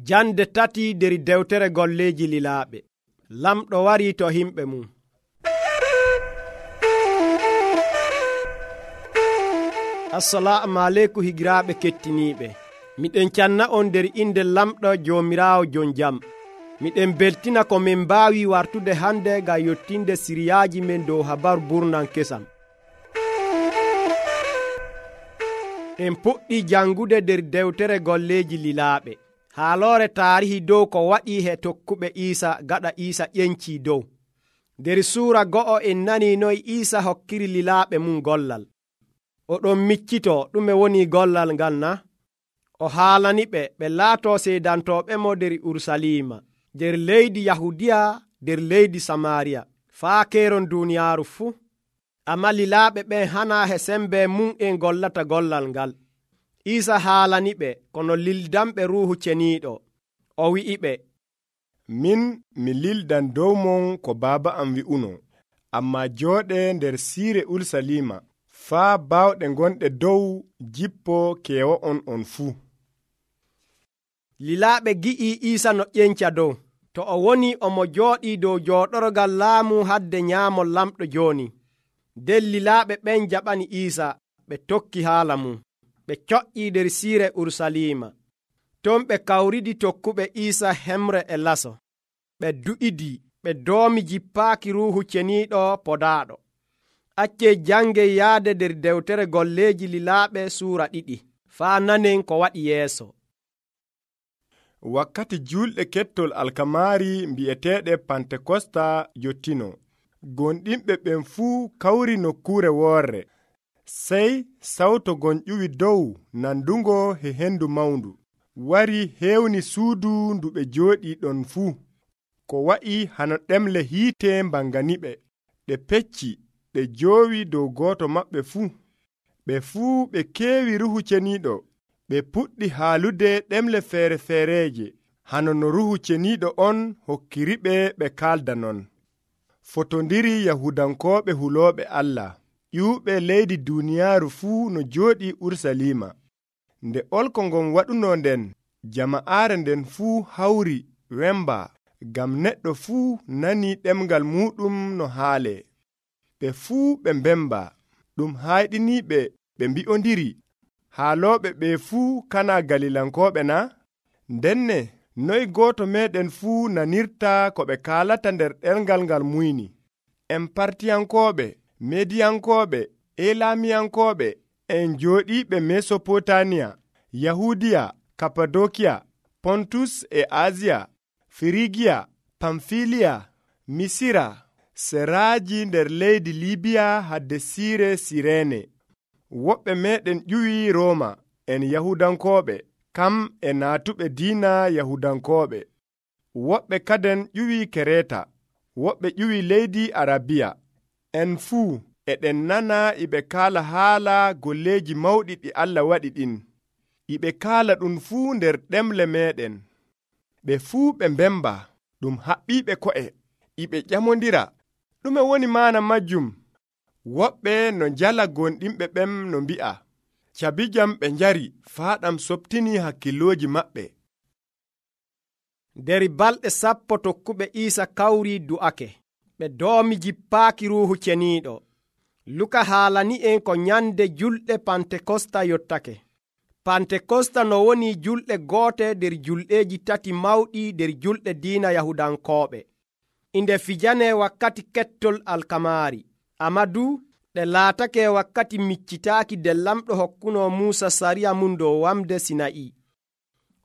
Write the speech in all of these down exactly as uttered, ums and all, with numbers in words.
Jande tati der dewtere golleeji lilaaɓe. Lamɗo wari to himɓe mum. Assalamu aleykum higiraaɓe kettiniiɓe. Miɗen canna on der inde lamɗo Joomiraawo jon jam. Miɗen beltina ko min mbaawi wartude hande ngam yottinde siriyaaji men dow habaru burnan kesam. En puɗɗi jangude der dewtere golleeji lilaaɓe. Haaloore taarihi dow ko waɗi he tokkuɓe Iisa gaɗa Iisa ƴencii dow. Der suura go'o en nanii noy Iisa hokkiri lilaaɓe mum gollal. Oɗon miccitoo ɗume woni gollal ngal na? O haalaniɓe ɓe laatoo seedantooɓe mo der Urusalima, der leydi Yahudiya, der leydi Samaariya, faa keeron duuniyaaru fuu. Amma lilaaɓe ɓen hanaa he sembe mum en gollata gollal ngal. Iisa haalaniɓe kono lildanɓe Ruuhu Ceniiɗo. O wi'iɓe, min mi lildan dow mon ko Baaba am wi'uno, amma jooɗe nder siire Urusalima, faa baawɗe gonɗe dow jippo keewo'on on fuu. Lilaaɓe gi'ii Iisa no ƴenca dow. To o woni omo jooɗii dow jooɗorgal laamu hadde nyaamol lamɗo jooni. Nden lilaaɓe ɓen jaɓani Iisa, ɓe tokki haala mum. Ɓe coƴƴii der siire Urusalima. Ton ɓe kawridi tokkuɓe Iisa hemre e laso. Ɓe du'idii, ɓe doomi jippaaki Ruuhu Ceniiɗo podaaɗo. Accee jangey yaade der dewtere golleeji lilaaɓe suura ɗiɗi, faa nanen ko waɗi yeeso. Wakkati julɗe kettol alkamaari mbi'eteeɗe Pantekosta yottino. Gonɗinɓe ɓen fuu kawri nokkuure woorre. Sey sawto gon ƴuwi dow nandungo he hendu mawndu wari heewni suudu ndu ɓe jooɗii ɗon fuu. Ko wa'i hano ɗemle hiite mbanganiɓe. Ɗe pecci, ɗe joowi dow gooto maɓɓe fuu. Ɓe fuu ɓe keewi Ruuhu Ceniiɗo. Ɓe puɗɗi haalude ɗemle feere feereeje, hano no Ruuhu Ceniiɗo on hokkiriɓe ɓe kaalda non. Fotondiri Yahudankooɓe hulooɓe Allah, ƴuuɓe leydi duuniyaaru fuu no jooɗii Urusalima. Nde olko ngon waɗunoo nden, jama'aare nden fuu hawri wemba, ngam neɗɗo fuu nanii ɗemgal muuɗum no haalee. Ɓe fuu ɓe mbemba, ɗum hayɗiniiɓe ɓe mbi'ondiri, haalooɓe ɓe fuu kana Galilankooɓe na? Ndenne noy gooto meeɗen fuu nanirta ko ɓe kaalata nder ɗemgal ngal muyni. En Partiyankooɓe, Mediyankooɓe, Elamiyankooɓe, en jooɗiiɓe Mesopotamiya, Yahudiya, Kapadokiya, Pontus e Asiya, Firigiya, Pamfiliya, Misira, seraaji nder leydi Libiya hadde siire Sireene. Woɓɓe meeɗen ƴuwi Rooma, en Yahudankooɓe, kam e naatuɓe diina Yahudankooɓe. Woɓɓe kaden ƴuwi Kereta, woɓɓe ƴuwi leydi Arabiya. En fuu eɗen nana iɓe kaala haala golleeji mawɗi ɗi Allah waɗi ɗin. Iɓe kaala ɗum fuu nder ɗemle meeɗen. Ɓe fuu ɓe mbemba, ɗum haɓɓiiɓe ko'e, iɓe ƴamondira. Ɗume woni maana majjum? Woɓɓe no njala gonɗinɓe ɓen no mbi'a, cabijam ɓe njari faa ɗam soɓtinii hakkilooji maɓɓe. Der balɗe sappo tokkuɓe Iisa kawrii du'ake. Ɓe doomi jippaaki Ruuhu Ceniiɗo. Luka haalani en ko nyande julɗe Pantekosta yottake. Pantekosta no woni julɗe goote der julɗeeji tati mawɗi der julɗe diina Yahudankooɓe. Inde fijane wakkati kettol alkamaari. Amadu ɗe laatake wakkati miccitaaki de lamɗo hokkuno Muusa sariya mum dow wamde Sina'i.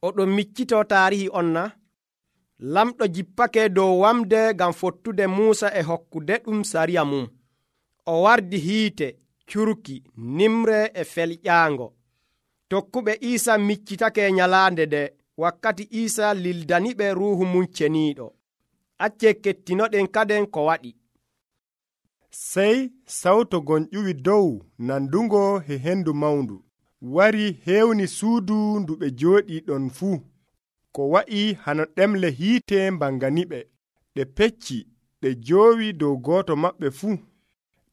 Oɗon miccitoo taarihi on na? Lamɗo jippake dow wamde ngam fottude Muusa e hokkude ɗum sariya mum. O wardi hiite, curki, nimre e felƴaango. Tokkuɓe Iisa miccitake nyalaande de wakkati Iisa lildaniɓe Ruuhu mum Ceniiɗo. Accee kettinoɗen kaden ko waɗi. Sey sawto gon ƴuwi dow nandungo he hendu mawndu wari heewni suudu ndu ɓe jooɗii ɗon fuu. Ko wa'i hano ɗemle hiite mbanganiɓe. Ɗe pecci, ɗe joowi dow gooto maɓɓe fuu.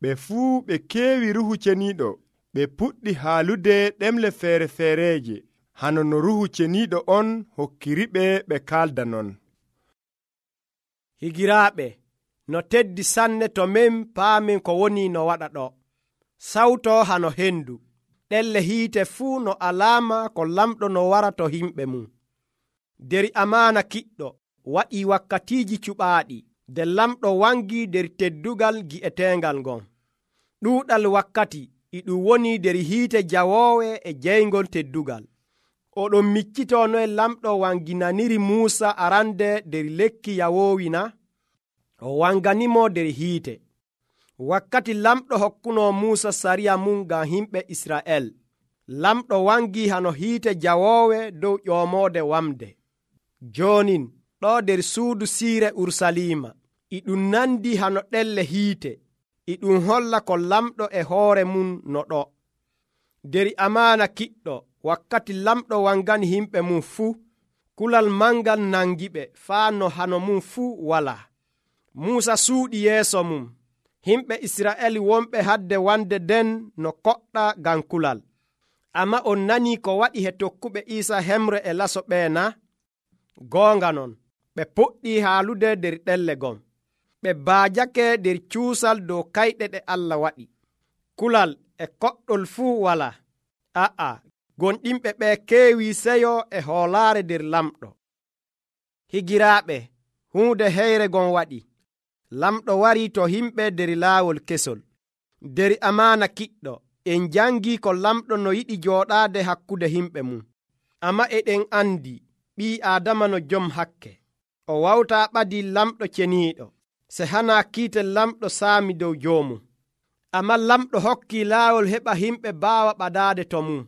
Ɓe fuu ɓe keewi Ruuhu Ceniiɗo. Ɓe puɗɗi haalude ɗemle feere feereeje, hano no ruhu ceniiɗo on hokkiriɓe ɓe kalda non. Higiraaɓe, no teddi sanne to min paamin ko woni no waɗa ɗo. Sawto hano hendu, ɗelle hiite fuu no alaama ko lamɗo no wara to himɓe mum. Der amaana kiɗɗo waɗii wakkatiiji cuɓaaɗi, nde lamɗo wangi der teddugal gi'eteengal ngon. Ɗuuɗal wakkati e ɗum woni der hiite jawoowe e jeyngol teddugal. Oɗon miccitoo noye lamɗo wanginaniri Muusa arande der lekki yawoowi na? O wanganimo der hiite. Wakkati lamɗo hokkunoo Muusa sariya mum ngam himɓe Isra'el, lamɗo wangi hano hiite jawoowe dow ƴoomoode wamde. Joonin ɗo der suudu siire Urusalima, e ɗum nandi hano ɗelle hiite, e ɗum holla ko lamɗo e hoore mum no ɗo. Der amaana kiɗɗo wakkati lamɗo wangani himɓe mum fuu, kulal mangal nangiɓe faa no hano mum fuu walaa. Muusa suuɗi yeeso mum, himɓe Isra'el wonɓe hadde wande den no koɗɗa ngam kulal. Amma on nanii ko waɗi he tokkuɓe Iisa hemre e laso ɓee na? Goonga non, ɓe puɗɗii haalude der ɗelle gon. Ɓe baajake der cuusal dow kayɗe ɗe Allah waɗi. Kulal e koɗɗol fuu walaa. A'a, gonɗinɓe ɓe keewii seyo e hoolaare der lamɗo. Higiraaɓe, huunde heyre gon waɗi. Lamɗo warii to himɓe der laawol kesol. Der amaana kiɗɗo, en jangii ko lamɗo no yiɗi jooɗaade hakkude himɓe mum. Amma eɗen andi ɓii Aadama no jom hakke. O wawtaa ɓadii lamɗo ceniiɗo, se hanaa kiite lamɗo saami dow joomum. Amma lamɗo hokkii laawol heɓa himɓe baawa ɓadaade to mum.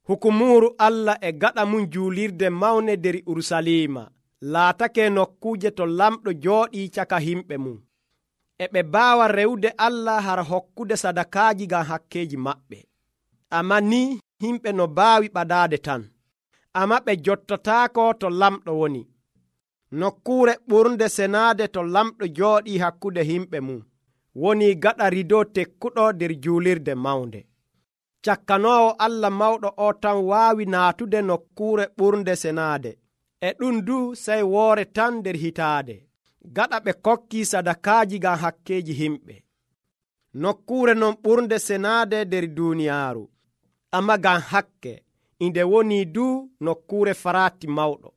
Hukumuuru Allah e gaɗa mum juulirde mawne der Urusalima laatake nokkuuje to lamɗo jooɗii caka himɓe mum. E ɓe baawa rewde Allah hara hokkude sadakaaji ngam hakkeeji maɓɓe. Amma ni himɓe no baawi ɓadaade tan. Amma ɓe jottataako to lamɗo woni. Nokkuure ɓurnde senaade to lamɗo jooɗii hakkude himɓe mum woni gaɗa rido tekkuɗo der juulirde mawnde. Cakkanoowo Allah mawɗo o tan waawi naatude nokkuure ɓurnde senaade. E ɗum du sey woore tan der hitaade, gaɗa ɓe kokkii sadakaaji ngam hakkeeji himɓe. Nokkuure non ɓurnde senaade der duuniyaaru, amma ngam hakke inde woni du nokkuure faraati mawɗo.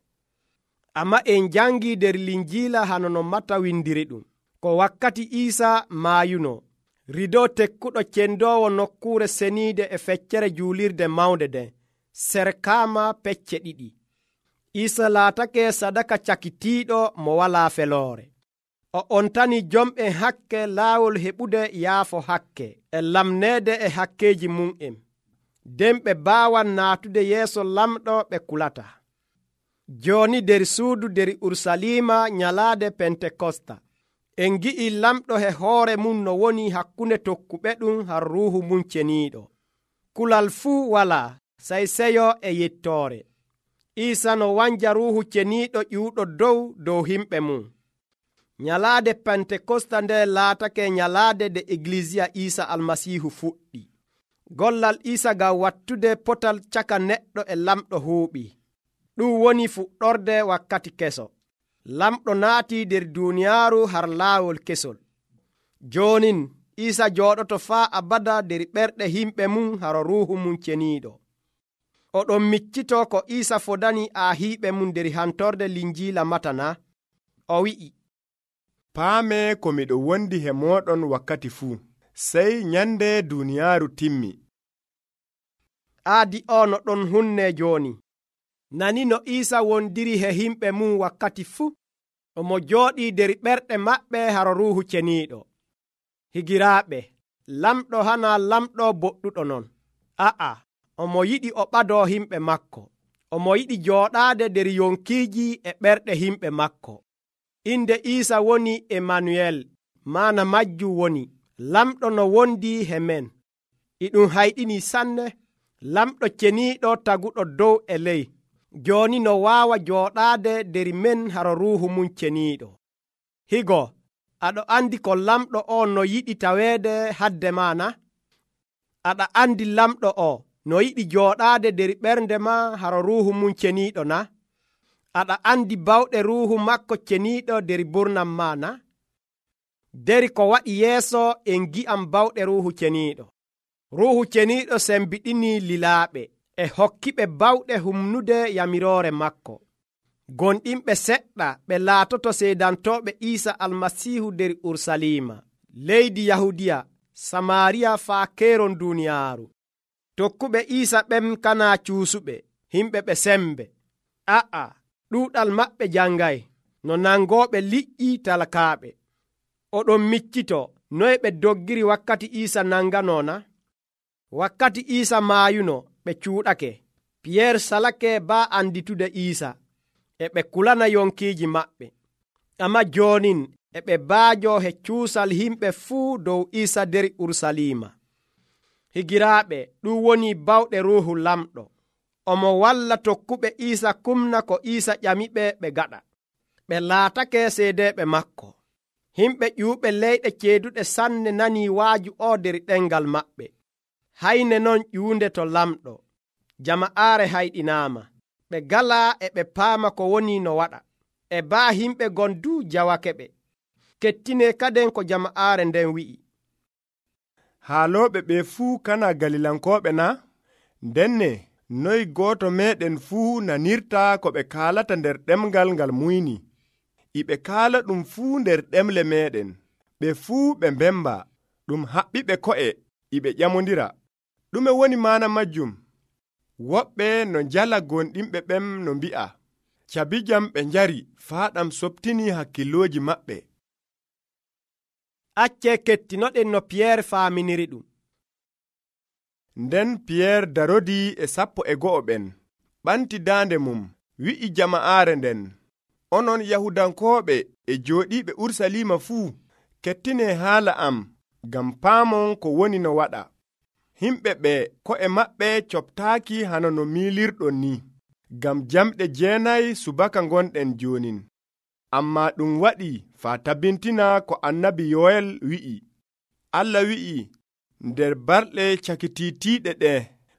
Amma en jangii der Linjiila hano no Mata windiri ɗum, ko wakkati Iisa maayuno, rido tekkuɗo cendoowo nokkuure seniide e feccere juulirde mawnde den serkaama pecce ɗiɗi. Iisa laatake sadaka cakitiiɗo mo walaa feloore. O ontani jom'en hakke laawol heɓude yaafo hakke e lamneede e hakkeeji mum'en. Den ɓe baawan naatude yeeso lamɗo ɓe kulata. Jooni der suudu der Urusalima nyalaade Pentekosta, en gi'i lamɗo he hoore mum no woni hakkunde tokkuɓe ɗum har ruuhu mum ceniiɗo. Kulal fuu walaa, sey seyo e yettoore. Iisa no wanja ruuhu ceniiɗo ƴiwɗo dow dow himɓe mum. Nyalaade Pentekosta nde laatake nyalaade de Eglisiya Iisa Almasiihu fuɗɗi. Gollal Iisa ngam wattude potal caka neɗɗo e lamɗo huuɓii. Ɗum woni fuɗɗorde wakkati keso. Lamɗo naatii der duuniyaaru har laawol kesol. Joonin Iisa jooɗoto faa abada der ɓerɗe himɓe mum haro ruuhu mum ceniiɗo. Oɗon miccitoo ko Iisa fodani aahiiɓe mum der hantorde Linjiila Mata na? O wi'i, paame ko miɗo wondi he mooɗon wakkati fuu, sey nyande duuniyaaru timmi. Aadi o no ɗon hunne jooni. Nani no Iisa wondiri he himɓe mum wakkati fuu, omo jooɗii der ɓerɗe maɓɓe haro ruuhu ceniiɗo. Higiraaɓe, lamɗo hana lamɗo boɗɗuɗo non. A'a, omo yiɗi o ɓadoo himɓe makko. Omo yiɗi jooɗaade der yonkiiji e ɓerɗe himɓe makko. Inde Iisa woni Emanuel, maana majjum woni lamɗo no wondi he men. E ɗum hayɗini sanne, lamɗo ceniiɗo taguɗo dow e ley. Jooni no waawa jooɗaade der men haro ruuhu mum ceniiɗo. Higo, aɗo andi ko lamɗo o no yiɗi taweede hadde maana? Aɗa andi lamɗo o no yiɗi jooɗaade der ɓernde ma haro ruuhu mum ceniiɗo na? Aɗa andi bawɗe ruuhu makko ceniiɗo der burnam ma na? Deri ko waɗi yeeso en gi'am bawɗe ruuhu ceniiɗo. Ruuhu ceniiɗo sembiɗini lilaaɓe e hokkiɓe bawɗe humnude yamiroore makko. Gonɗinɓe seɗɗa ɓe laatoto seedantooɓe Iisa Almasiihu der Urusalima, leydi Yahudiya, Samaariya faa keeron duuniyaaru. Tokkuɓe Iisa ɓen kanaa cuusuɓe, himɓe ɓe sembe. A'a, ɗuuɗal maɓɓe jangay, no nangooɓe liƴƴi talakaaɓe. Oɗon miccito noye ɓe doggiri wakkati Iisa nanganona? Wakkati Iisa maayuno ɓe cuuɗake. Piyeer salake baa anditude Iisa, e ɓe kulana yonkiiji maɓɓe. Amma joonin e ɓe baajo he cuusal himɓe fuu dow Iisa der Urusalima. Higiraaɓe, ɗum woni bawɗe Ruuhu Lamɗo. Omo walla tokkuɓe Iisa kumna ko Iisa ƴamiɓe ɓe gaɗa. Ɓe laatake seedeeɓe makko. Himɓe ƴuuɓe leyɗe ceeduɗe sanne nanii waaju o der ɗemgal maɓɓe. Hayne non ƴuunde to lamɗo. Jama'aare hayɗinaama. Ɓe galaa e ɓe paama ko woni no waɗa. E baa himɓe gondu jawake ɓe. Kettine kaden ko jama'aare nden wi'i. Haalooɓe ɓe fuu kana Galilankooɓe na? Ndenne noy gooto meeɗen fuu nanirta ko ɓe kaalata nder ɗemgal ngal muyni. Iɓe kaala ɗum fuu nder ɗemle meeɗen. Ɓe fuu ɓe mbemba, ɗum haɓɓiɓe ko'e, iɓe ƴamondira. Ɗume woni maana majjum? Woɓɓe no njala gonɗinɓe ɓen no mbi'a, cabijam ɓe njari faa ɗam soɓtini hakkilooji maɓɓe. Acce kettinoɗen no Piyeer faaminiri ɗum. Nden Piyeer darodii e sappo e go'o ɓen, ɓanti daande mum, wi'i jama'aare nden, onon Yahudankooɓe e jooɗiiɓe Urusalima fuu, kettine haala am, ngam paamon ko woni no waɗa. Himɓe ɓe ko'e maɓɓe coɓtaaki hano no miilirɗon ni, ngam jamɗe jeenayi subaka gonɗen joonin. Ammaa ɗum waɗi faa tabbintina ko annabi Yoel wi'i. Allah wi'i, nder balɗe cakitiitiiɗe ɗe,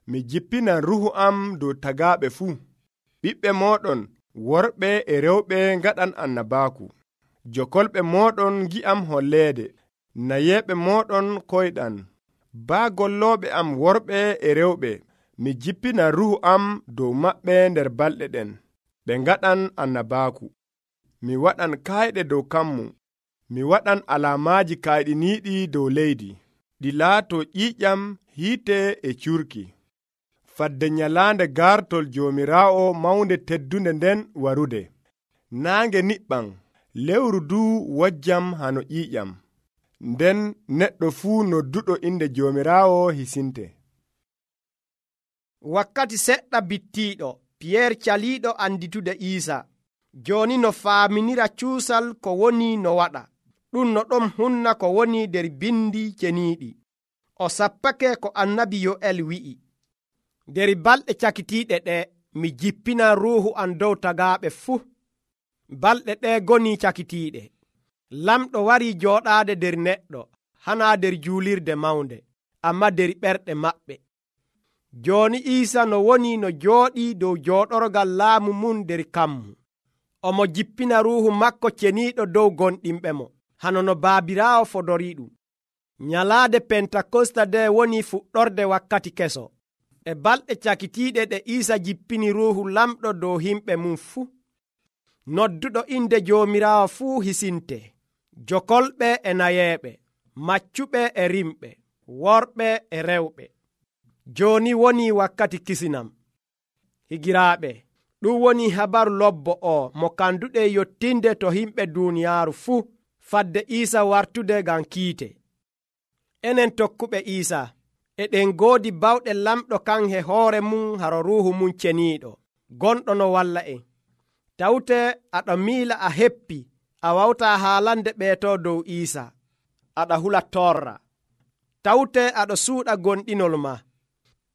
mi jippinan ruhu am dow tagaaɓe fuu. Ɓiɓɓe mooɗon worɓe e rewɓe ngaɗan annabaaku. Jokolɓe mooɗon ngi'am holleede. Nayeeɓe mooɗon koyɗan. Baa gollooɓe am worɓe e rewɓe, mi jippinan ruhu am dow maɓɓe nder balɗe ɗen. Ɓe ngaɗan annabaaku. Mi waɗan kayɗe dow kammu. Mi waɗan alaamaaji kayɗiniiɗi dow leydi. Ɗi laato ƴiiƴam, hiite e curki. Fadde nyalaande gartol Joomiraawo mawnde teddunde nden warude. Naange niɓɓan, lewru duu wojjam hano ƴiiƴam. Nden neɗɗo fuu nodduɗo inde Joomiraawo hisinte. Wakkati seɗɗa bittiiɗo, Piyeer caliiɗo anditude Iisa. Jooni no faaminira cuusal ko woni no waɗa. Ɗum no ɗon hunna ko woni der bindi ceniiɗi. O sappake ko annabi Yo'el wi'i. Der balɗe cakitiiɗe ɗe, mi jippinan ruuhu am dow tagaaɓe fuu. Balɗe ɗe goni cakitiiɗe. Lamɗo warii jooɗaade der neɗɗo, hanaa der juulirde mawnde, amma der ɓerɗe maɓɓe. Jooni Iisa no woni no jooɗii dow jooɗorgal laamu mum der kammu. Omo jippina ruuhu makko ceniiɗo dow gonɗinɓe mo, hano no Baabiraawo fodorii ɗum. Nyalaade Pentakosta nde woni fuɗɗorde wakkati keso. E balɗe cakitiiɗe ɗe Iisa jippini ruuhu lamɗo dow himɓe mum fuu. Nodduɗo inde Joomiraawo fuu hisinte. Jokolɓe e nayeeɓe, maccuɓe e rimɓe, worɓe e rewɓe. Jooni woni wakkati kisinam. Higiraaɓe, ɗum woni habaru lobbo o mo kanduɗe yottinde to himɓe duuniyaaru fuu, fadde Iisa wartude ngam kiite. Enen tokkuɓe Iisa, eɗen goodi bawɗe lamɗo kan he hoore mum haro ruuhu mum ceniiɗo, gonɗo no walla en. Tawte aɗa miila a heppi, a wawtaa haalande ɓeeto dow Iisa, aɗa hula torra. Tawte aɗa suuɗa gonɗinol ma.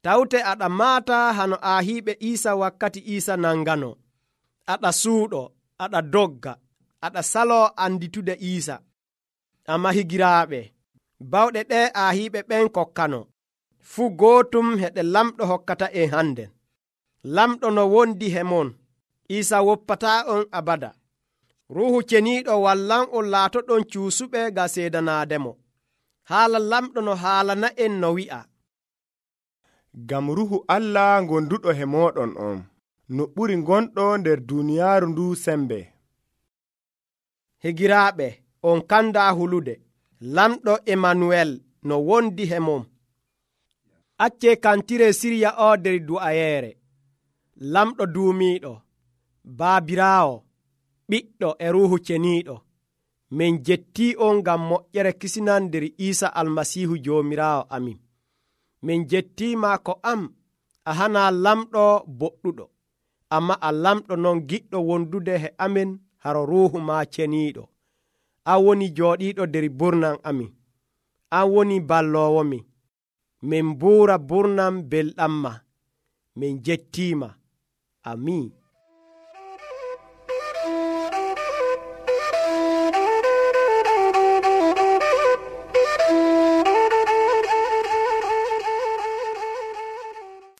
Tawte aɗa maata hano aahiiɓe Iisa wakkati Iisa nangano. Aɗa suuɗo, aɗa dogga, aɗa saloo anditude Iisa. Amma higiraaɓe, bawɗe ɗe aahiiɓe ɓen kokkano. fuu gootum he ɗe lamɗo hokkata en handen. Lamɗo no wondi he mon, Iisa woppataa on abada. Ruuhu ceniiɗo wallan on laatoɗon cuusuɓe ga seedanaademo. Haala lamɗo no haalana en no wi'a: ngam ruhu Allah gonduɗo he mooɗon on, no ɓuri gonɗo nder duuniyaaru ndu sembe. Higiraaɓe, on kandaa hulude, lamɗo Emanuel no wondi he mom. Acce kantire sirya o nder du'ayeere. Lamɗo duumiiɗo, baabiraawo, ɓiɗɗo e ruuhu ceniiɗo, min jettii on ngam moƴƴere kisinan nder Iisa Almasiihu Joomiraawo amin. Min jettiima ko am a hana lamɗo boɗɗuɗo, amma a lamɗo non giɗɗo wondude he amin haro ruuhu ma ceniiɗo. An woni jooɗiiɗo nder burnam amin. An woni balloowomi. Min buura burnam belɗam ma. Min jettiima. Amiin.